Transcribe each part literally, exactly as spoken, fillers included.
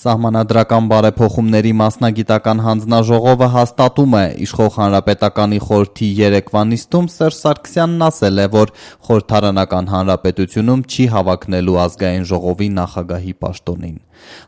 Սահմանադրական բարեփոխումների մասնագիտական հանձնաժողովը հաստատում է, իշխող Հանրապետականի խորհրդի երեկվա նիստում Սերժ Սարգսյանն ասել է, որ խորհրդարանական հանրապետությունում չի հավակնելու ազգային ժողովի նախագահի պաշտոնին։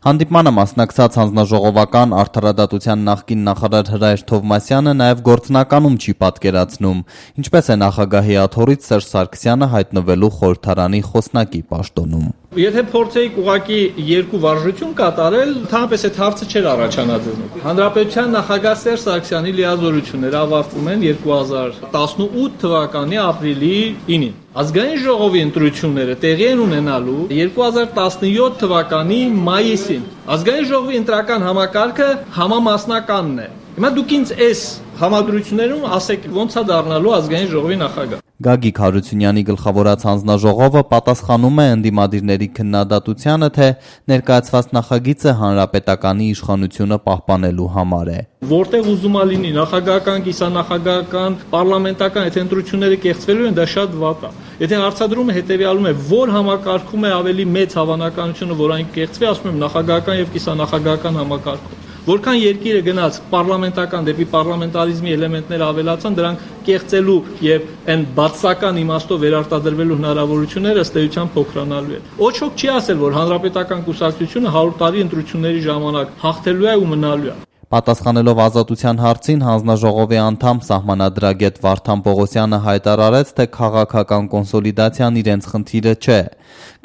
Հանդիպմանը մասնակցած հանձնաժողովական արդարադատության նախկին նախարար Հրայր Թովմասյանը նաև գործնականում չի պատկերացնում, ինչպես է նախագահի աթոռից Սերժ Սարգսյանը հայտնվելու խորհրդարանի խոսնակի պաշտոնում։ Եթե փորձեիք ուղղակի երկու վարժություն կատարել, ընդհանրապես այդ հարցը չէր առաջանա ձեզնով։ Հանրապետության նախագահ Սերժ Սարգսյանի լիազորությունները ավարտվում են երկու հազար տասնութ թվականի ապրիլի ինին։ Ազգային ժողովի ընտրությունները տեղի են ունենալու երկու հազար տասնյոթ թվականի մայիսին։ Ազգային ժողովի ընտրական համակարգը համամասնականն է։ Հիմա դուք ինձ այս համադրություններում ասեք ոնց է դառնալու ազգային ժողովի նախագահ։ Գագիկ Հարությունյանի գլխավորած հանձնաժողովը պատասխանում է ընդդիմադիրների քննադատությանը, թե ներկայացված նախագիծը հանրապետականի իշխանությունը պահպանելու համար է։ Որտեղ ուզում է լինի նախագահական, կիսանախագահական, պարլամենտական այդ ընտրությունները կեղծվելու են, դա շատ վատ է։ Եթե հարցադրումը հետևյալում է, որ համակարգում է ավելի մեծ հավանականությունը, որ այն կեղծվի, ասում եմ նախագահական եւ կիսանախագահական համակարգում։ Որքան երկիրը գնաց պարլամենտական դեպի պարլամենտարիզմի էլեմենտներ ավելացան, դրանք կեղծելու եւ այն բացական իմաստով վերարտադրվելու հնարավորությունները ըստ էության փոքրանալու են։ Ոչոք չի ասել, որ հանրապետական կուսակցությունը հարյուր տարի ընտրությունների ժամանակ հաղթելու է ու մնալու է։ Պատասխանելով Ազատության հարցին հանձնաժողովի անդամ սահմանադրագետ Վարդան Պողոսյանը հայտարարեց, թե քաղաքական կոնսոլիդացիան իրենց խնդիրը չէ։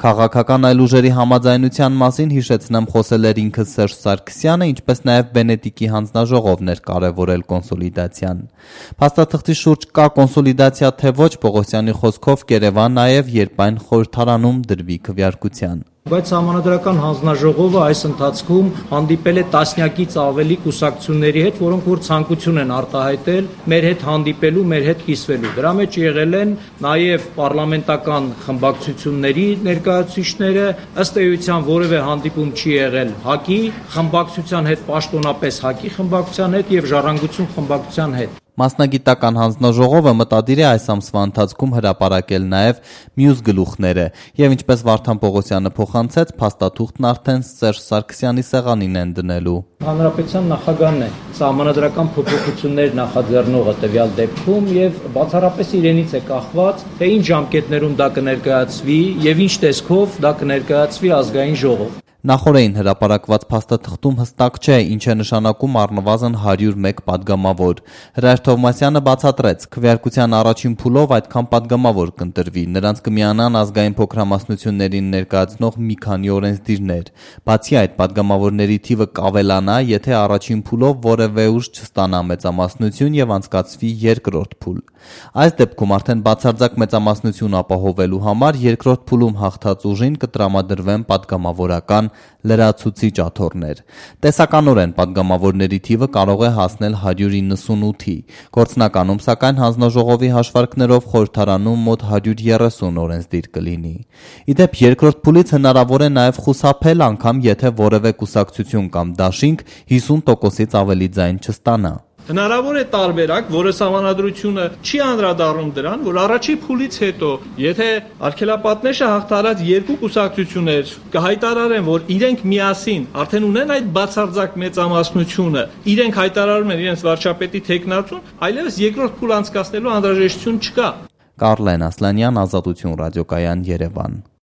Քաղաքական այլ ուժերի համաձայնության մասին հիշեցնեմ խոսել էր ինքը Սերժ Սարգսյանը, ինչպես նաև Վենետիկի հանձնաժողովն էր կարևորել կոնսոլիդացիան։ Փաստաթղթի շուրջ կա կոնսոլիդացիա թե ոչ, Պողոսյանի խոսքով կերևա նաև, երբ այն խորհրդարանում դրվի քվեարկության։ Բայց Սահմանադրական հանձնաժողովը այս ընթացքում հանդիպել է տասնյակից ավելի կուսակցությունների հետ, որոնք որ ցանկություն են արտահայտել մեր հետ հանդիպելու, մեր հետ կիսվելու։ Դրա մեջ եղել են նաև պարլամենտական խմբակցությունների ներկայացուցիչները, ըստ էության որևէ հանդիպում չի եղել ՀԱԿ-ի խմբակցության հետ, պաշտոնապես ՀԱԿ-ի խմբակցության հետ եւ Ժառանգություն խմբակցության հետ։ Մասնագիտական հանձնաժողովը մտադիր է այս ամսվա ընթացքում հրապարակել նաև մյուս գլուխները եւ ինչպես Վարդան Պողոսյանը փոխանցեց, փաստաթուղթն արդեն Սերժ Սարգսյանի սեղանին են դնելու։ Հանրապետության նախագահն է սահմանադրական փոփոխություններ նախաձեռնողը տվյալ դեպքում եւ բացառապես իրենից է կախված, թե ինչ ժամկետներում դա կներկայացվի եւ ինչ տեսքով դա կներկայացվի ազգային ժողով։ Նախորդին հրապարակված փաստաթղթում հստակ չէ, ինչ է նշանակում առնվազն հարյուր մեկ պատգամավոր։ Հրայր Թովմասյանը բացատրեց, քվեարկության առաջին փուլով այդքան պատգամավոր կընտրվի, նրանց կմիանան ազգային փոքրամասնություններին ներկայացնող մի քանի օրենսդիրներ։ Բացի այդ, պատգամավորների թիվը կավելանա, եթե առաջին փուլով որևէ ուժ չստանա մեծամասնություն եւ անցկացվի երկրորդ փուլ։ Այս դեպքում արդեն բացարձակ մեծամասնություն ապահովելու համար երկրորդ փուլում հաղթած ուժին կտրամադրվեն պատգամավորական լրացուցիչ աթոռներ։ Տեսականորեն պատգամավորների թիվը կարող է հասնել հարյուր իննսունութի։ Գործնականում, սակայն հանձնաժողովի հաշվարկներով խորհրդարանում մոտ հարյուր երեսուն օրենսդիր կլինի։ Ի դեպ, երկրորդ փուլից հնարավոր է նաև խուսափել, անգամ եթե որևէ կուսակցություն կամ դաշինք հիսուն տոկոսից ավելի ձայն չստանա։ Հնարավոր է տարբերակ, որը Սահմանադրությունը չի անդրադառնում դրան, որ առաջի փուլից հետո, եթե արգելապատնեշը հաղթարած երկու կուսակցություններ կհայտարարեն, որ իրենք միասին արդեն ունեն այդ բացարձակ մեծամասնությունը, իրենք հայտարարում են իրենց վարչապետի թեկնածուն, այլևս երկրորդ փուլ անցկացնելու անհրաժեշտություն չկա։ Կարլեն Ասլանյան, Ազատություն ռադիոկայան, Երևան։